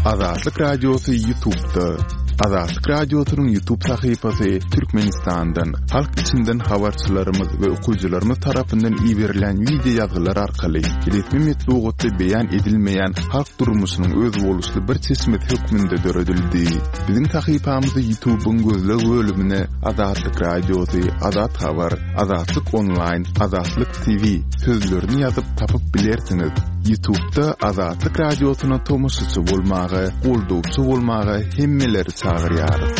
Azatlyk Radiosy Ýutubda. Azatlyk Radiosynyň Ýutub sahypasy Türkmenistandan, halk içinden habarçylarymyz we okyjylarymyz tarapyndan iberilen wideo ýazgylar arkaly resmi metbugatda beýan edilmeýän halk durmuşynyň özboluşly bir çeşmesi hökmünde döredildi. Biziň sahypamyzy Ýutubyň gözleg bölümine Azatlyk Radiosy, Azat Habar, Azatlyk Onlaýn, Azatlyk TV sözlerini ýazyp tapyp bilersiňiz. Ýutubda Azatlyk Radiosyna tomaşaçy bolmaga, goldawçy bolmaga hemmeleri çagyrýarys.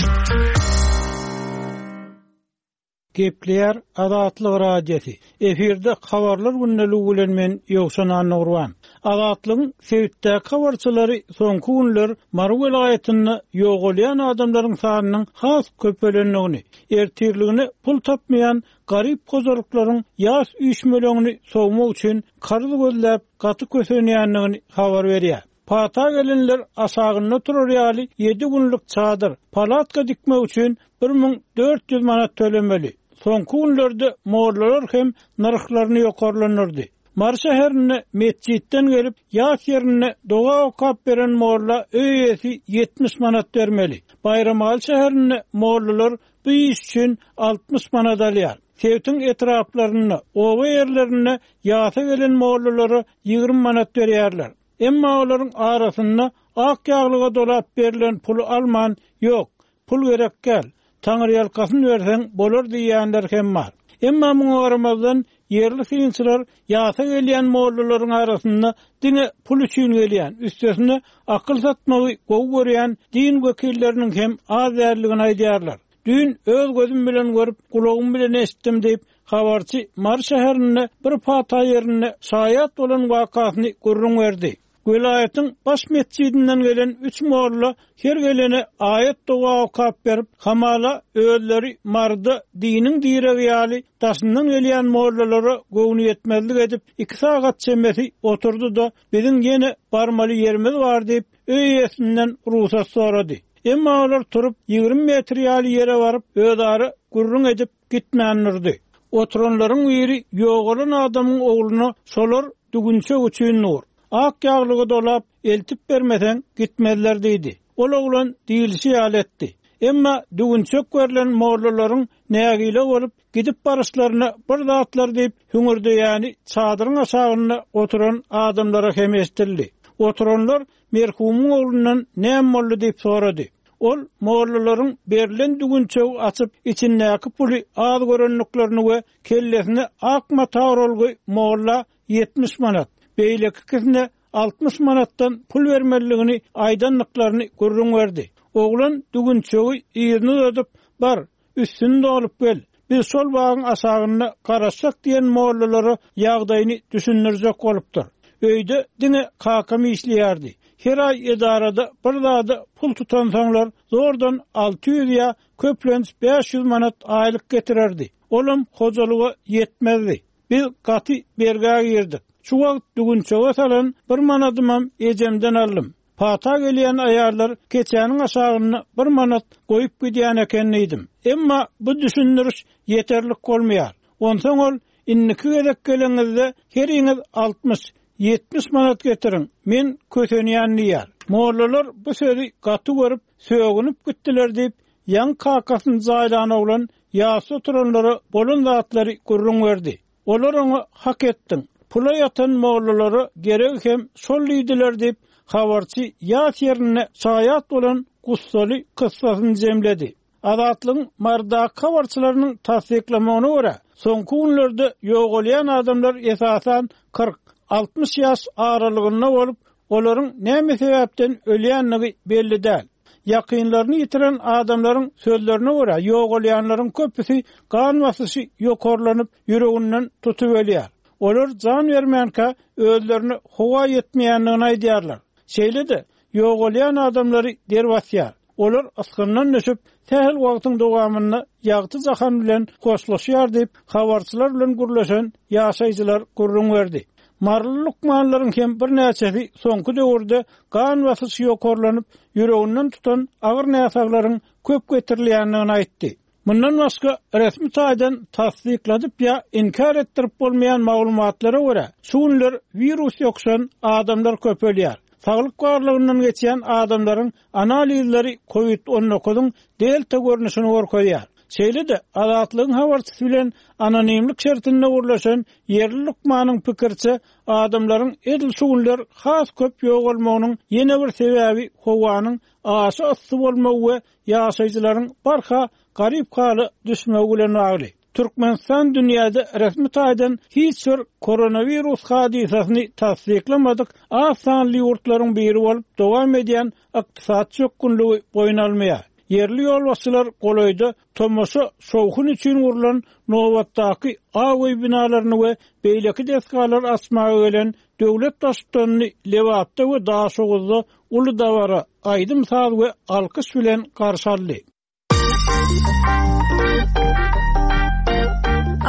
Gepleýär Azatlyk Radiosy. Efirde Habarlar gündeligi bilen men Ýowşan Annagurban. Azatlygyň sebitdäki habarçylary soňky günler Mary welaýatynda ýogalýan adamlaryň sanynyň has köpelendigini, ertirligine pul tapmaýan garyp hojalyklaryň ýas üýşmeleňini sowmak üçin karz gözläp gaty kösenýändigini habar berýär. Pata gelenler aşagynda turar ýaly ýedi günlük çadyr, palatka dikmek üçin 1400 manat tölemeli. Soňky günlerde mollalar hem nyrhlaryny ýokarlandyrdy. Mary şäherinde metjitden gelip, ýas ýerinde doga okap beren molla öý eýesi 70 manat bermeli. Baýramaly şäherinde mollalar bu iş üçin 60 manat alýar. Sebitiň etraplarynda, oba ýerlerinde ýasa gelen mollalara 20 manat berýärler. Emma olaryň arasynda ak ýaglyga dolap berlen puly alman, ýok, pul gerek däl, taňryýalkasyn berseň bolar diýýänler hem bar. Emma muňa garamazdan, ýerli synçylar ýasa gelýän mollalaryň arasynda diňe pul üçin gelýän, üstesine akyl satmagy gowy görýän din wekilleriniň hem az däldigini aýdýarlar. Düýn öz gözüm bilen görüp, gulagym bilen eşitdim diýip, habarçy Mary şäherinde bir pata ýerinde şaýat bolan wakasyny gürrüň berdi. Welaýatyň baş metjidinden gelen üç molla her gelene aýat-doga okap berip, hamala özleri Maryda diniň diregi ýaly daşyndan gelýän mollalara göwnüýetmezlik edip, iki sagat çemesi oturdy-da, biziň ýene barmaly ýerimiz bar diýip, öý eýesinden rugsat sorady. Emma olar turup, 20 metr ýaly ýere baryp, özara gürrüň edip gitmän durdy. Oturanlaryň biri ýogalan adamyň ogluna şolar düwünçek üçin dur. Ak ýaglyga dolap, eltip bermeseň, gitmezler diýdi. Ol oglan diýlişi ýaly etdi. Emma düwünçek berlen mollalaryň nägile bolup, gidip baryşlaryna bir zatlar diýip hüňürdeýäni çadyryň aşagynda oturan adamlara hem eşidildi. Oturanlar merhumyň oglundan näme boldy diýip sorady. Ol mollalaryň berlen düwünçegi açyp, içindäki puly az görendiklerini we kellesine ak mata oralgy molla 70 manat, beýleki ikisine 60 manatdan pul bermelidigini aýdandyklaryny gürrüň berdi. Oglan düwünçegi yzyna uzadyp, Bar, Üstüni dolup gel, biz şol bagyň aşagynda garaşjak diýen mollalara ýagdaýyny düşündirjek bolupdyr. Öýde diňe kakam işleýärdi. Her aý edarada bir zada pul tutansoňlar zordan 600 ýa köplenç 500 manat aýlyk getirerdi. Olam hojalyga ýetmezdi. Biz gaty bergä girdik. Şu wagt düwünçege salan bir manadymam ejemden aldym. Pata gelýän aýallar keçäniň aşagynda bir manat goýup gidýän eken diýdim. Emma bu düşündiriş ýeterlik bolmaýar. Onsoň ol, Indiki gezek geleňizde heriňiz 60, 70 manat getiriň, men kösenýän diýýär. Mollalar bu sözi gaty görüp, sögünip gitdiler diýip, ýaňy kakasyny jaýlan oglan ýasda oturanlara bolan zatlary gürrüň berdi. Olar oňa Hak etdiň, pula ýatan mollalara geregi hem şol diýdiler diýip, habarçy ýas ýerinde şaýat bolan gussaly kyssasyny jemledi. Azatlygyň Marydaky habarçylarynyň tassyklamagyna görä, soňky günlerde ýogalýan adamlar esasan 40, 60 ýaş aralygynda bolup, olaryň näme sebäpden ölýändigi belli däl. Ýakynlaryny ýitiren adamlaryň sözlerine görä, ýogalýanlaryň köpüsi gan basyşy ýokarlanyp, ýüreginden tutup ölýär. Olar jan bermänkä özlerine howa ýetmeýändigini aýdýarlar. Şeýle-de, ýogalýan adamlary der basýar. Olar ysgyndan düşüp, sähel wagtyň dowamynda ýagty jahan bilen hoşlaşýar diýip, habarçylar bilen gürleşen ýaşaýjylar gürrüň berdi. Maryly lukmanlaryň hem birnäçesi soňky döwürde gan basyşy ýokarlanyp, ýüreginden tutan agyr näsaglaryň köp getirilýändigini aýtdy. Mundan başga, resmi taýdan tassykladyp ýa inkär etdirip bolmaýan maglumatlara görä, şu günler wirus ýokuşan adamlar köpelýär. Saglyk barlagyndan geçýän adamlaryň analizleri kowid on dokuzyň delta görnüşini görkezýär. Şeýle-de, Azatlygyň habarçysy bilen anonimlik şertinde gürleşen ýerli lukmanyň pikiriçe, adamlaryň edil şu günler has köp ýogalmagynyň ýene bir sebäbi howanyň aşa yssy bolmagy we ýaşaýjylaryň barha garyp hala düşmegi bilen bagly. Türkmenistan dünýäde resmi taýdan hiç bir koronawirus hadysasyny tassyklamadyk az sanly ýurtlaryň biri bolup, dowam edýän ykdysady çökgünligi boýun almaýar. Ýerli ýolbaşçylar golaýda tomaşa şowhun üçin gurlan nobatdaky Ak öý binalaryny we beýleki desgalary açmaga gelen döwlet Baştutanyny Lebapda we Daşoguzda uly dabara, aýdym-saz we alkyş bilen garşy aldy.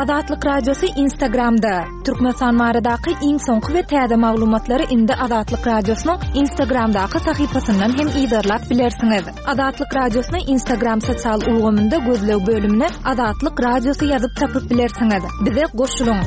Azatlyk Radiosy Instagramda, Türkmenistan baradaky iň soňky we täze maglumatlary indi Azatlyk Radiosynyň Instagramdaky sahypasyndan hem yzarlap bilersiňiz. Azatlyk Radiosyny Instagram sosial ulgamynda gözleg bölümine Azatlyk Radiosy ýazyp tapyp bilersiňiz. Bize goşulyň!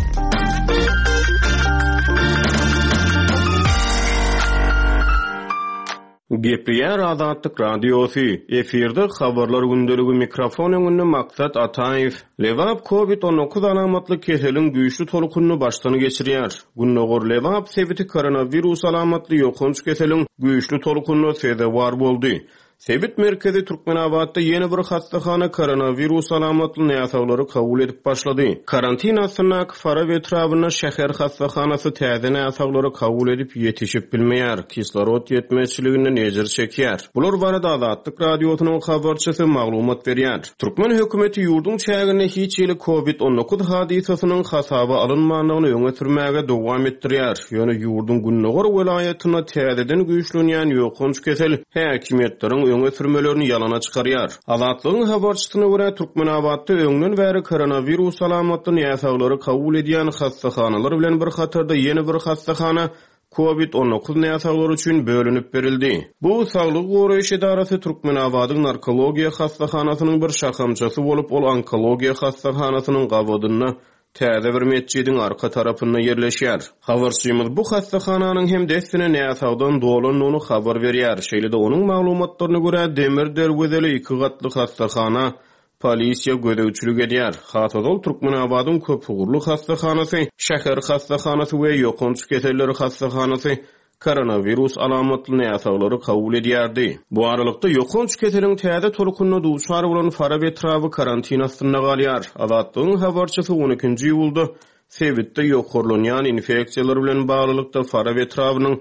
Gepleýär Azatlyk Radiosy, efirde Habarlar gündeligi mikrofon öňünde Maksat Ataýew. Lebap Covid 19 alamatly keseliň güýçli tolkunyny başdan geçirýär. Gündogar Lebap sebiti koronawirus alamatly ýokanç keseliň güýçli tolkunyna sezewar boldy. Sebit merkezi Türkmenabatda ýene bir hassahana koronawirus alamatly näsaglary kabul edip başlady. Karantin astyndaky Farap etrabynda şäher hassahanasy täze näsaglary kabul edip ýetişip bilmeýär, kislorod ýetmezçiliginden ejir çekýär. Bular barada Azatlyk Radiosynyň habarçysy maglumat berýär. Türkmen hökümeti ýurduň çäginde hiç hili Covid 19 hadysasynyň hasaba alynmandygyny öňe sürmäge dowam etdirýär. Ýöne ýurduň gündogar welaýatynda täzeden güýçlenýän ýokanç kesel häkimiýetleriň öňe sürmelerini ýalana çykarýar. Azatlygyň habarçysyna görä, Türkmenabatda öňden bäri koronawirus alamatly näsaglary kabul edýän hassahanalar bilen bir hatarda ýene bir hassahana Covid 19 näsaglary üçin bölünip berildi. Bu saglygy goraýyş edarasy Türkmenabadyň narkologiýa hassahanasynyň bir şahamçasy bolup, ol onkologiýa hassahanasynyň gabadynda täze bir metjidiň arka tarapynda ýerleşýär. Habarçymyz bu hassahananyň hem dessine näsagdan dolandygyny habar berýär. Şeýle-de onuň maglumatlaryna görä, demir derwezeli iki gatly hassahana polisiýa gözegçilik edýär. Has ozal Türkmenabadyň köpugurly hassahanasy, şäher hassahanasy we ýokanç keselleri hassahanasy koronawirus alamatly näsaglary kabul edýärdi. Bu aralykda, ýokanç keseliň täze tolkunyna duçar bolan Farap etraby karantin astynda galýar. Azatlygyň habarçysy on ikinji iýulda sebitde ýokarlanýan infeksiýalar bilen baglylykda Farap etrabynyň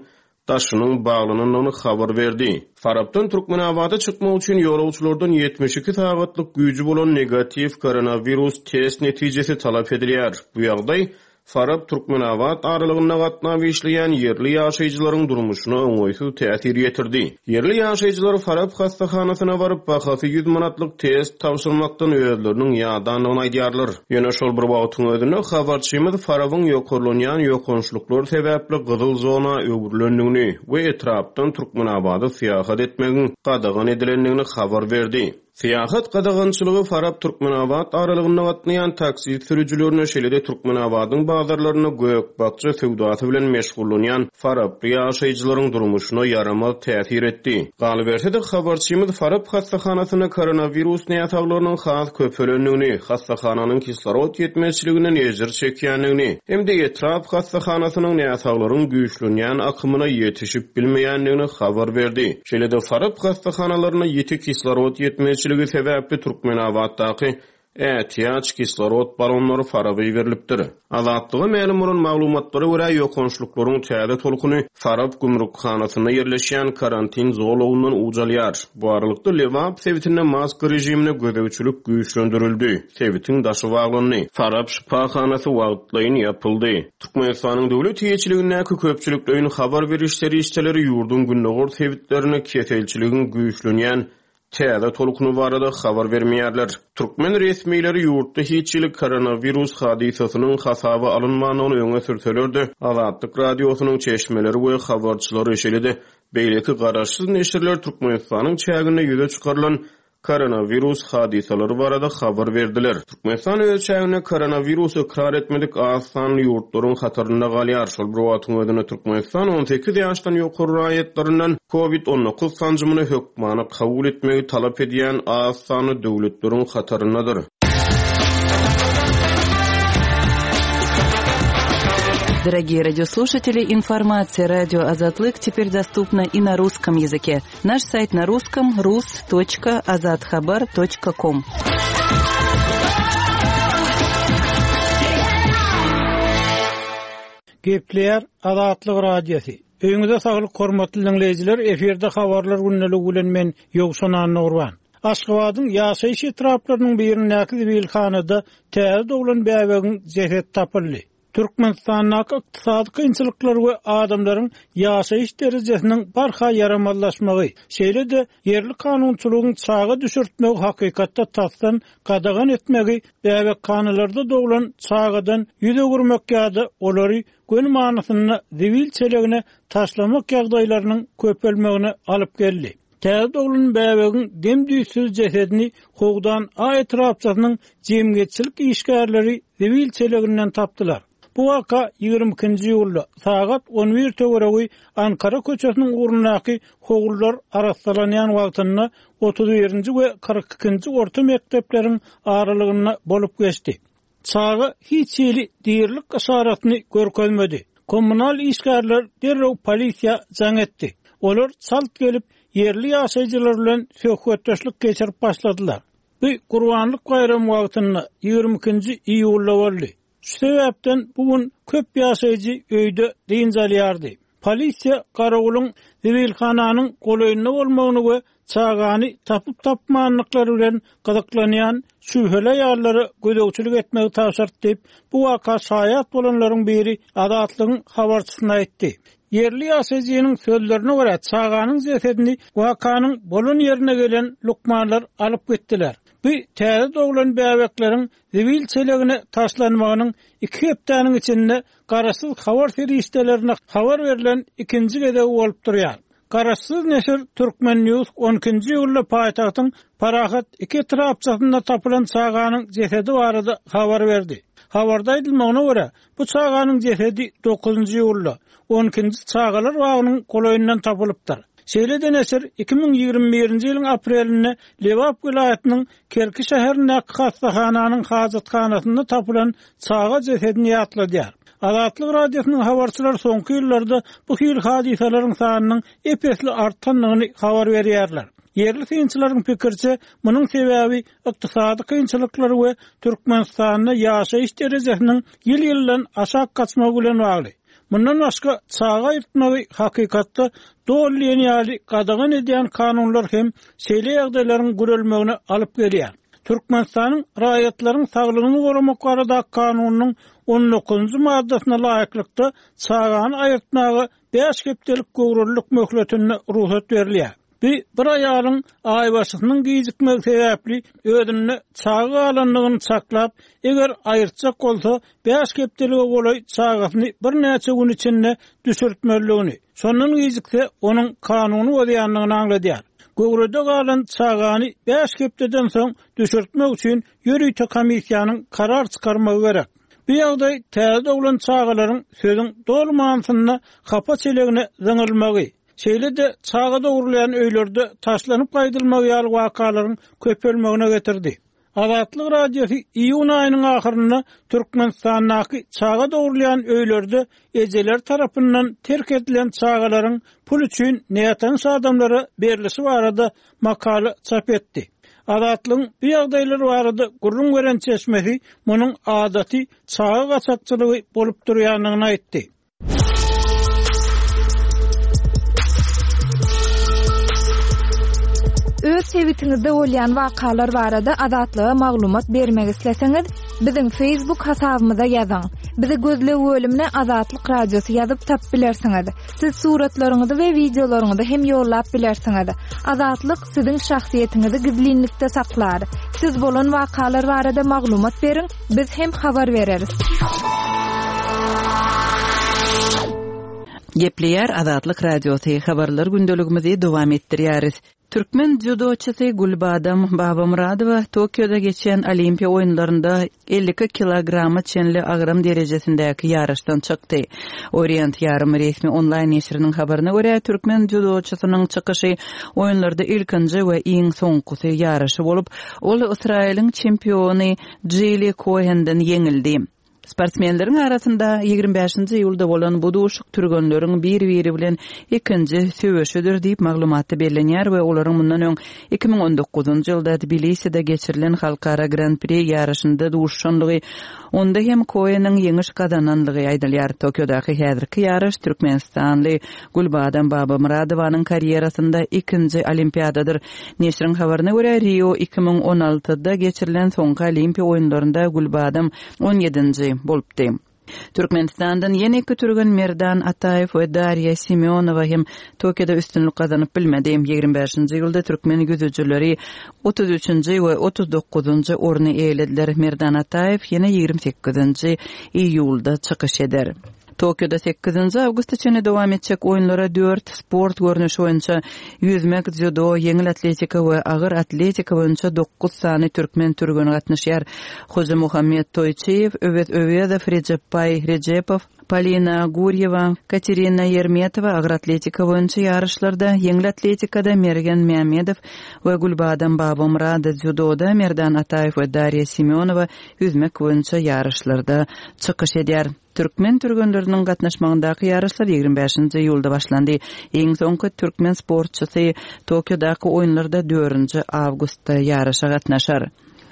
daşynyň baglanandygyny habar berdi. Farapdan Türkmenabada çykmak üçin ýolagçylardan 72 sagatlyk güýji bolan negatiw koronawirus test netijesi talap edilýär. Bu ýagdaý Farap, Türkmenabat aralygynda gatnap işleýän ýerli ýaşaýjylaryň durmuşyna oňaýsyz täsir ýetirdi. Ýerli ýaşaýjylar Farap hassahanasyna baryp, bahasy 100 manatlyk test tabşyrmakdan özleriniň ýadandygyny aýdýarlar. Ýöne şol bir wagtyň özünde, habarçymyz Farabyň ýokarlanýan ýokançlyklar sebäpli gyzyl zona öwrülendigini we etrapdan Türkmenabada syýahat etmegiň gadagan edilendigini habar berdi. Syýahat gadagançylygy Farap-Türkmenabat aralygynda gatnaýan taksi sürüjilerine, şeýle-de Türkmenabadyň bazarlarynda gök-bakja söwdasy bilen meşgullanýan faraply ýaşaýjylaryň durmuşyna ýaramaz täsir etdi. Galyberse-de, habarçymyz Farap hassahanasynda koronawirus näsaglarynyň has köpelendigini, hassahananyň kislorod ýetmezçiliginden ejir çekýändigini hem-de etrap hassahanasynyň näsaglaryň güýçlenýän akymyna ýetişip bilmeýändigini habar berdi. Şeýle-de Farap hassahanalarynda ýiti kislorod ýetmezçiligi sebäpli Türkmenabatdaky ätiýaç kislorod balonlary Faraba iberilipdir. Azatlyga mälim bolan maglumatlara görä, ýokançlyklaryň täze tolkuny Farap gümrükhanasynda ýerleşýän karantin zolagyndan uç alýar. Bu aralykda, Lebap sebitinde maska režimine gözegçilik güýçlendirildi, sebitiň daşy baglandy. Farap şypahanasy wagtlaýyn ýapyldy. Türkmenistanyň döwlet eýeçiligindäki köpçülikleýin habar beriş serişdeleri ýurduň gündogar sebitlerinde keselçiligiň güýçlenýän täze tolkuny barada habar bermeýärler. Türkmen resmileri ýurtda hiç hili koronawirus hadysasynyň hasaba alynmandygyny öňe sürseler-de, Azatlyk Radiosynyň çeşmeleri we habarçylary, şeýle-de beýleki garaşsyz neşirler Türkmenistanyň çäginde ýüze çykarylan. koronawirus hadysalary barada habar berdiler. Türkmenistan öz çäginde koronawirusy ykrar etmedik az sanly ýurtlaryň hatarynda galýar. Şol bir wagtyň özünde Türkmenistan 18 ýaşdan ýokary raýatlaryndan Covid 19 sanjymyny hökmany kabul etmegi talap edýän az sanly döwletleriň hataryndadyr. Дорогие радиослушатели, информация радио Азатлык теперь доступна и на русском языке. Наш сайт на русском rus.azathabar.com. Gepleýär Azatlyk Radiosy. Öýüňize saglyk hormatly diňleýjiler, efirde habarlar gündeligi bilen men Ýowşan Annagurban. Aşgabadyň ýaşaýyş etraplarynyň birindäki zibilhanada täze doglan bäbegiň jesedi tapyldy. Türkmenistandaky ykdysady kynçylyklar we adamlaryň ýaşaýyş derejesiniň barha ýaramazlaşmagy, şeýle-de ýerli kanunçylygyň çaga düşürtmegi hakykatda tasdan gadagan etmegi bäbekhanalarda doglan çagadan ýüz öwürmek ýa-da olary göni manysynda zibil çelegine taşlamak ýagdaýlarynyň köpelmegine alyp geldi. Täze doglan bäbegiň dem-düýtsüz jesedini Howdan A etrapçasynyň jemgyýetçilik işgärleri zibil çeleginden tapdylar. Bu waka 22-nji iýulda, sagat 11 töweregi Ankara köçesiniň ugrundaky howlular arassalanýan wagtynda 31-nji we 42-nji orta mekdepleriň aralygynda bolup geçdi. Çaga hiç hili dirilik yşaratyny görkezmedi. Kommunal işgärler derrew polisiýa jaň etdi. Olar çalt gelip, ýerli ýaşaýjylar bilen söhbetdeşlik geçirip başladylar. Bu Gurbanlyk baýramy wagtynda, 22-nji iýulda boldy. Şu sebäpden bu gün köp ýaşaýjy öýde dynç alýardy. Polisiýa garawulyň zibilhananyň golaýynda bolmagyny we çagany tapyp-tapmandyklary bilen gyzyklanýan şübheli aýallara gözegçilik etmegi tabşyrdy diýip, bu waka şaýat bolanlaryň biri Azatlygyň habarçysyna aýtdy. Ýerli ýaşaýjynyň sözlerine görä, çaganyň jesedini wakanyň bolan ýerine gelen lukmanlar alyp gitdiler. Bu täze doglan bäbekleriň zibil çelegine taşlanmagynyň iki hepdäniň içinde garaşsyz habar serişdelerine habar berlen ikinji gezegi bolup durýar. Garaşsyz neşir Turkmen News on ikinji iýulda paýtagtyň Parahat iki etrapçasynda tapylan çaganyň jesedi barada habar berdi. Habarda aýdylmagyna görä, bu çaganyň jesedi dokuzynjy iýulda, on ikinji çagalar bagynyň golaýyndan tapylypdyr. Şeýle-de neşir 2021-nji ýylyň aprelinde Lebap welaýatynyň Kerki şäherindäki hassahananyň hajathanasynda tapylan çaga jesedini ýatladýar. Azatlyk Radiosynyň habarçylary soňky ýyllarda bu hili hadysalaryň sanynyň ep-esli artandygyny habar berýärler. Ýerli synçylaryň pikiriçe, munuň sebäbi ykdysady kynçylyklar we Türkmenistanda ýaşaýyş derejesiniň ýyl-ýyldan aşak gaçmagy bilen bagly. Mundan başga, çaga aýyrtmagy hakykatda doly diýen ýaly gadagan edýän kanunlar hem şeýle ýagdaýlaryň gürelmegine alyp gelýär. Türkmenistanyň Raýatlaryň saglygyny goramak baradaky kanunynyň on dokuzynjy maddasyna laýyklykda, çagany aýyrtmaga bäş hepdelik göwrelilik möhletinde rugsat berilýär. Bu bir aýalyň aýbaşysynyň gijikmegi sebäpli özünde çaga galandygyny çaklap, eger aýyrtjak bolsa, bäş hepdelige golaý çagasyny birnäçe gün içinde düşürtmelidigini, şondan gijikse, onuň kanuny bozýandygyny aňladýar. Göwrede galan çagany bäş hepdeden soň düşürtmek üçin ýörite komissiýanyň karar çykarmagy gerek. Bu ýagdaý täze doglan çagalaryň sözüň doly manysynda hapa çelegine zyňylmagy, şeýle-de çaga dogrulýan öýlerde taşlanyp gaýdylmagy ýaly wakalaryň köpelmegine getirdi. Azatlyk Radiosy iýun aýynyň ahyrynda Türkmenistandaky çaga dogrulýan öýlerde ejeleri tarapyndan terk edilen çagalaryň pul üçin nätanyş adamlara berlişi barada makala çap etdi. Azatlygyň bu ýagdaýlar barada gürrüň beren çeşmesi munuň adaty çaga gaçakçylygy bolup durýandygyny aýtdy. Öz sebitiňizde bolýan wakalar barada Azatlyga maglumat bermek isleseňiz, biziň Facebook hasabymyza ýazyň. Bizi gözleg bölümine Azatlyk Radiosy ýazyp tapyp bilersiňiz. Siz suratlaryňyzy we wideolaryňyzy hem ýollap bilersiňiz. Azatlyk siziň şahsyýetiňizi gizlinlikde saklar. Siz bolan wakalar barada maglumat beriň, biz hem habar bereris. Gepleýär Azatlyk Radiosy, Habarlar gündeligimizi dowam etdirýäris. Türkmen dzýudoçysy Gülbadam Babamyradowa Tokioda geçýän Olimpiýa oýunlarynda 52 kilograma çenli agram derejesindäki ýaryşdan çykdy. Orient ýarym resmi onlaýn neşiriniň habaryna görä, türkmen dzýudoçysynyň çykyşy oýunlarda ilkinji we iň soňkusy ýaryşy bolup, ol Ysraýylyň çempiony Jili Kohenden ýeňildi. Sportsmenleriň arasynda 25-nji iýulda bolan bu duşuk türgenleriň bir-biri bilen ikinji söweşidir diýip, maglumatda bellenýär we olaryň mundan öň 2019-njy ýylda Tbiliside geçirilen halkara Gran-pri ýaryşynda duşuşandygy, onda hem Koeniň ýeňiş gazanandygy aýdylýar. Tokiodaky häzirki ýaryş türkmenistanly Gülbadam Babamyradowanyň karýerasynda ikinji Olimpiadadyr. Neşiriň habaryna görä, Rio 2016-da geçirilen soňky Olimpiýa oýunlarynda Gülbadam on ýedinji bolupdy. Türkmenistandan ýene iki türgen Merdan Ataýew we Darýa Semýonowa hem Tokioda üstünlik gazanyp bilmedi. Ýigrimi bäşinji iýulda türkmen ýüzüjileri otuz üçünji we otuz dokuzynjy orny eýelediler. Merdan Ataýew ýene ýigrimi sekizinji iýulda çykyş eder. Tokioda sekizinji awgusta çenli dowam etjek oýunlara dört sport görnüşi boýunça, ýüzmek, dzýudo, ýeňil atletika we agyr atletika boýunça dokuz sany türkmen türgeni gatnaşýar. Hojamuhammet Toýçyýew, Öwez Öwezow, Rejepbaý Rejepow, Polina Gurýewa, Katerina Ýermetowa agyr atletika boýunça ýaryşlarda, ýeňil atletikada Mergen Mämmedow we Gülbadam Babamyrad, dzýudoda Merdan Ataýew we Darýa Semýonowa ýüzmek boýunça ýaryşlarda çykyş edýär. Türkmen türgenleriniň gatnaşmagyndaky ýaryşlar 25-nji iýulda başlandy. Iň soňky türkmen sportçysy Tokiodaky oýunlarda dördünji awgustda ýaryşa gatnaşar.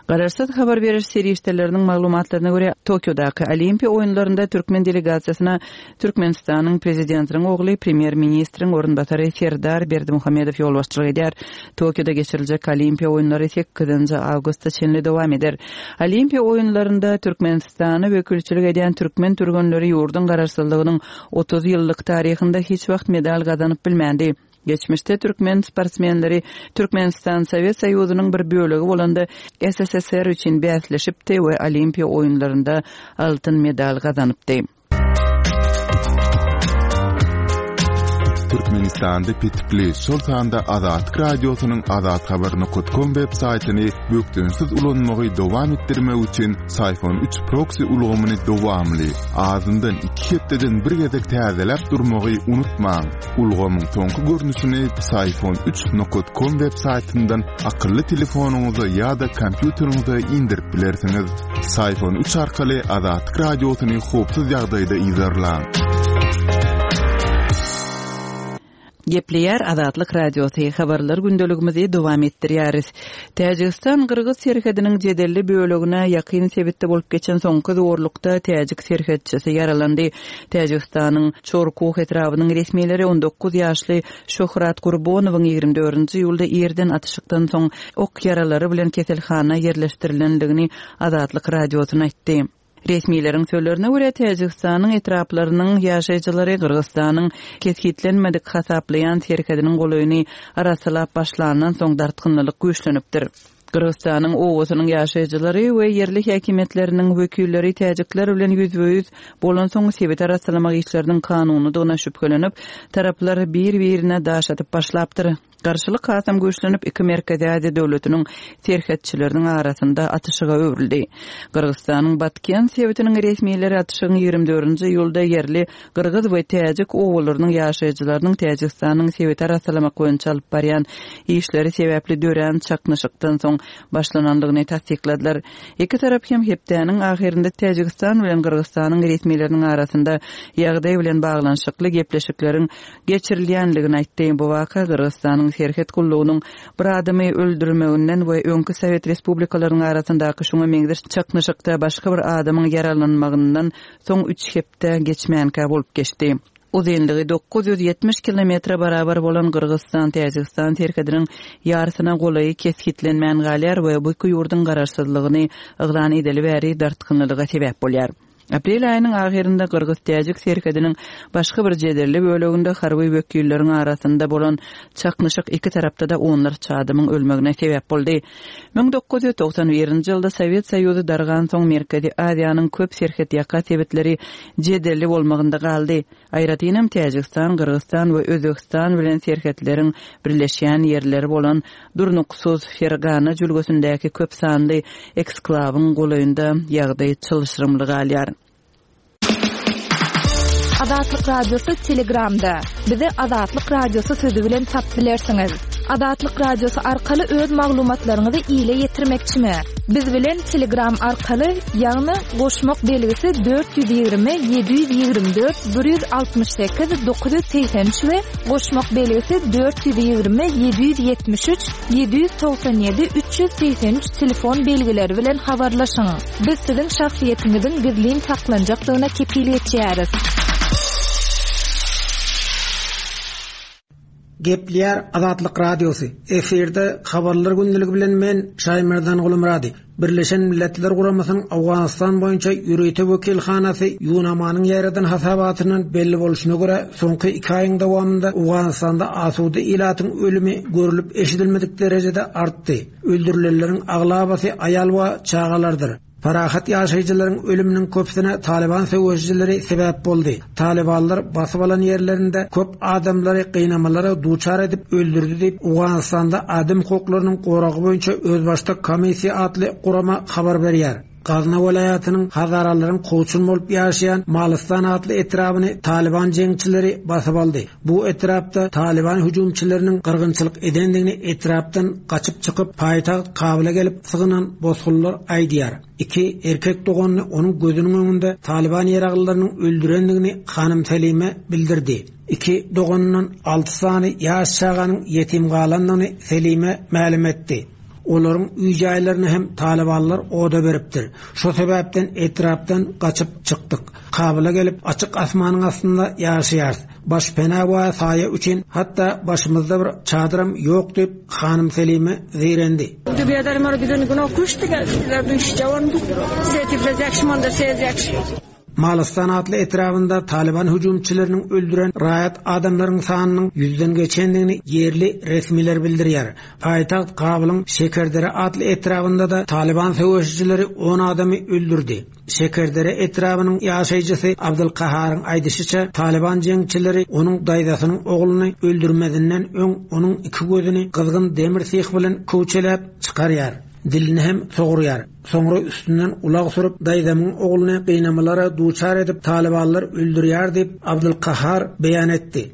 Garaşsyz habar beriş serişdeleriniň maglumatlaryna görä, Tokiodaky Olimpiýa oýunlarynda türkmen delegasiýasyna Türkmenistanyň Prezidentiniň ogly, Premýer-ministriň orunbasary Serdar Berdimuhamedow ýolbaşçylyk edýär. Tokioda geçiriljek Olimpiýa oýunlary sekizinji awgusta çenli dowam eder. Olimpiýa oýunlarynda Türkmenistana wekilçilik edýän türkmen türgenleri ýurduň Garaşsyzlygynyň 30 ýyllyk taryhynda hiç wagt medal gazanyp bilmändi. Geçmişde türkmen sportsmenleri Türkmenistan Sowet Soýuzynyň bir bölegi bolanda SSSR üçin bäsleşipdi we Olimpiýa oýunlarynda altyn medal gazanypdy. Türkmenistanda petikli, şol sanda Azatlyk Radiosynyň azathabar.com web saýtyny bökdençsiz ulanmagy dowam etdirmek üçin Syfon 3 proksi ulgamyny dowamly, azyndan iki hepdeden bir gezek täzeläp durmagy unutmaň. Ulgamyň soňky görnüşini Syfon 3 com web saýtyndan akylly telefonyňyza ýa-da kompýuteriňize indirip bilersiňiz. Syfon 3 arkaly Azatlyk Radiosyny howpsuz ýagdaýda yzarlaň. Gepleýär Azatlyk Radiosy, Habarlar gündeligimizi dowam etdirýäris. Täjigistan-gyrgyz serhediniň jedelli bölegine ýakyn sebitde bolup geçen soňky zorlukda täjik serhetçisi ýaralandy. Täjigistanyň Çorkuh etrabynyň resmileri 19 ýaşly Şöhrat Gurbonowyň 24-nji iýulda irden atyşykdan soň ok ýaralary bilen keselhana ýerleşdirilendigini Azatlyk Radiosyna aýtdy. Resmileriň sözlerine görä, Täjigistanyň etraplarynyň ýaşaýjylary Gyrgyzystanyň kesgitlenmedik hasaplaýan serhediniň golaýyny arassalap başlandan soň dartgynlylyk güýçlenipdir. Gyrgyzystanyň obasynyň ýaşaýjylary we ýerli häkimiýetleriniň wekilleri täjikler bilen ýüzbe-ýüz bolansoň sebiti arassalamak işleriniň kanunydygyna şübhelenip, taraplar bir-birine daş atyp başlapdyr. Garşylyk hasam güýçlenip, iki Merkezi Aziýa döwletiniň serhetçileriniň arasynda atyşyga öwrüldi. Gyrgyzystanyň Batken sebitiniň resmileri atyşygyň 24-nji iýulda ýerli gyrgyz we täjik obalarynyň ýaşaýjylarynyň Täjigistanyň sebiti arassalamak boýunça alyp barýan işleri sebäpli dörän çaknyşykdan soň başlanandygyny tassykladylar. Iki tarap hem hepdäniň ahyrynda Täjigistan bilen Gyrgyzystanyň resmileriniň arasynda ýagdaý bilen baglanyşykly gepleşikleriň geçirilýändigini aýtdy. Bu waka Gyrgyzystanyň serhet gullugynyň bir adamy öldürmeginden we öňki sowet respublikalarynyň arasyndaky şuňa meňzeş çaknyşykda başga bir adamyň ýaralanmagyndan soň üç hepde geçmänkä bolup geçdi. Uzynlygy 970 kilometre barabar bolan Gyrgyzystan-Täjigistan serhediniň ýarysyna golaýy kesgitlenmän galýar we bu iki ýurduň garaşsyzlygyny yglan edeli bäri dartgynlylyga sebäp bolýar. Aprel aýynyň ahyrynda gyrgyz-täjik serhediniň başga bir jedelli böleginde harby wekilleriň arasynda bolan çaknyşyk iki tarapda-da onlarça adamyň ölmegine sebäp boldy. 1991-nji ýylda Sowet Soýuzy dargansoň Merkezi Aziýanyň köp serhetýaka sebitleri jedelli bolmagynda galdy. Aýratynam Täjigistan, Gyrgyzystan we Özbegistan bilen serhetleriň birleşýän ýerleri bolan durnuksyz Fergana jülgesindäki köp sanly eksklawyň golaýynda ýagdaý çylşyrymly galýar. Azatlyk Radiosy Telegramda. Bizi Azatlyk Radiosy sözi bilen tapyp bilersiňiz. Azatlyk Radiosy arkaly öz maglumatlaryňyzy ile ýetirmekçimi? Biz bilen Telegram arkaly, ýagny goşmak belgisi 420 724 168 983 we goşmak belgisi 420 773 797 383 telefon belgileri bilen habarlaşyň. Biz siziň şahsyýetiňiziň gizlin saklanjakdygyna kepil geçýäris. Gepleýär Azatlyk Radiosy, Efirde Habarlar gündeligi bilen men, Şaýmerdan Gulumyrady. Birleşen Milletler Guramasynyň Owganystan boýunça ýörite wekilhanasy ÝUNAMA-nyň ýaýradan hasabatyndan belli bolşuna görä, soňky iki aýyň dowamynda Owganystanda asuda ilatyň ölümi görlüp-eşidilmedik derejede artdy. Öldürilenleriň aglabasy aýal we çagalardyr. Parahat ýaşaýjylaryň ölüminiň köpüsine Talyban söweşijileri sebäp boldy. Talybanlar basyp alan ýerlerinde köp adamlary gynamalara duçar edip öldürdi diýip, Owganystanda adam hukuklarynyň goragy boýunça özbaşdak komissiýa atly gurama habar berýär. Gazna welaýatynyň hazaralaryň kowçum bolup ýaşaýan Malystan atly etrabyny Talyban jeňçileri basyp aldy. Bu etrapda Talyban hüjümçileriniň gyrgynçylyk edendigini etrapdan gaçyp çykyp, paýtagt Kabula gelip sygynan bosgunlar aýdýar. Iki erkek doganyny onuň gözüniň öňünde Talyban ýaraglylarynyň öldürendigini hanym Selime bildirdi. Iki doganyndan alty sany ýaş çaganyň ýetim galandygyny Selime mälim etdi. Olaryň öý-jaýlaryny hem talybanlar oda beripdir. Şo sebäpden etrapdan gaçyp çykdyk. Kabula gelip, açyk asmanyň astynda ýaşaýarys. Başpena we saýa üçin hatda başymyzda bir çadyram ýok diýip, hanym Selime zeýrendi. Malystan atly etrabynda Talyban hüjümçileriniň öldüren raýat adamlaryň sanynyň ýüzden geçendigini ýerli resmiler bildirýär. Paýtagt Kabulyň Şekerdere atly etrabynda-da Talyban söweşijileri on adamy öldürdi. Şekerdere etrabynyň ýaşaýjysy Abdylkaharyň aýdyşyça, Talyban jeňçileri onuň daýzasynyň ogluny öldürmezinden öň onuň iki gözüni gyzgyn demir syh bilen köwçeläp çykarýar, dilini hem sogurýar. Soňra üstünden ulag sürüp, daýzamyň ogluny gynamalara duçar edip, talybanlar öldürýär diýip, Abdylkahar beýan etdi.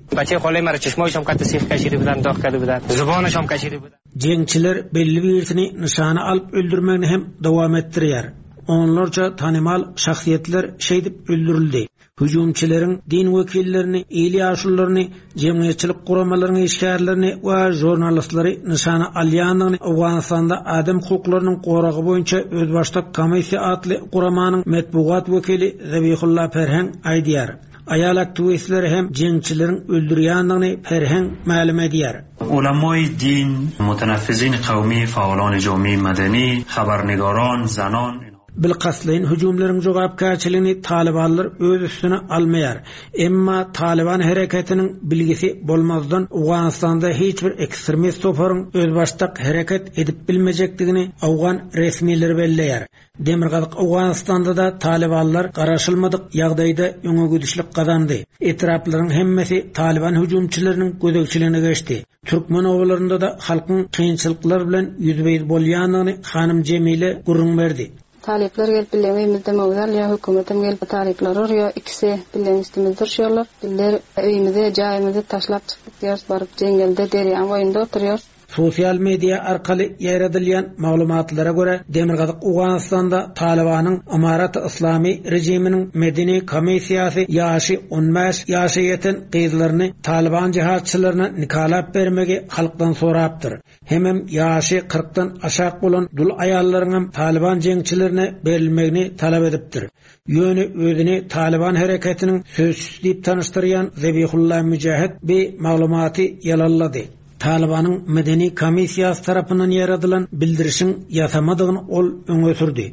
Jeňçiler belli birisini nyşana alyp öldürmegini hem dowam etdirýär. Onlarça tanymal şahsyýetler şeýdip öldürildi. Hüjümçileriň din wekillerini, il ýaşulularyny, jemgyýetçilik guramalaryň işgärlerini we žurnalistleri nyşana alýandygyny Owganystanda adam hukuklarynyň goragy boýunça özbaşdak komissiýa atly guramanyň metbugat wekili Zabihulla Perheň aýdýar. Aýal aktiwistleri hem jeňçileriň öldürýändigini Perheň mälim edýär. Ulamaý din, muteneffizin kawmi, faalan jami medeni, habarnigaran, zanan. Bilkastlaýyn hüjümleriň jogapkärçiligini talybanlar öz üstüne almaýar. Emma Talyban hereketiniň bilgisi bolmazdan Owganystanda hiç bir ekstremist toparyň özbaşdak hereket edip bilmejekdigini owgan resmileri belleýär. Demirgazyk Owganystanda-da talybanlar garaşylmadyk ýagdaýda öňegidişlik gazandy. Etraplaryň hemmesi talyban hüjümçileriniň gözegçiligine geçdi. Türkmen obalarynda-da halkyň kynçylyklar bilen ýüzbe-ýüz bolýandygyny hanym Jemile gürrüň berdi. Talyplar gelip billeň öýümizde möwz alýar, hökümetem gelip talyplary urýar, ikisi billeň üstümizde urşýarlar. Biller öýümizi, jaýymyzy taşlap çykyp gitýäris, baryp jeňňelde, derýaň boýunda oturýarys. Sosial media arkaly ýaýradylýan maglumatlara görä, Demirgazyk Owganystanda Talybanyň Ymarat-y Yslamy režiminiň medeni komissiýasy ýaşy 15 ýaşa ýeten gyzlaryny Talyban jihadçylaryna nikalap bermegi halkdan sorapdyr. Hemem ýaşy kyrkdan aşak bolan dul aýallaryňam Talyban jeňçilerine berilmegini talap edipdir. Ýöne özüni Talyban hereketiniň sözçüsi diýip tanyşdyrýan Zebihulla Müjahid bi maglumaty ýalanlady. Talybanyň medeni komissiýasy tarapyndan ýaradylan bildirişiň ýasamadygyny ol öňe sürdi.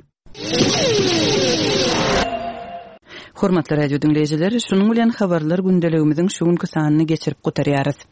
Hormatly radio diňleýjiler, şunuň bilen habarlar gündeligimiziň şu günki sanyny geçirip gutarýarys.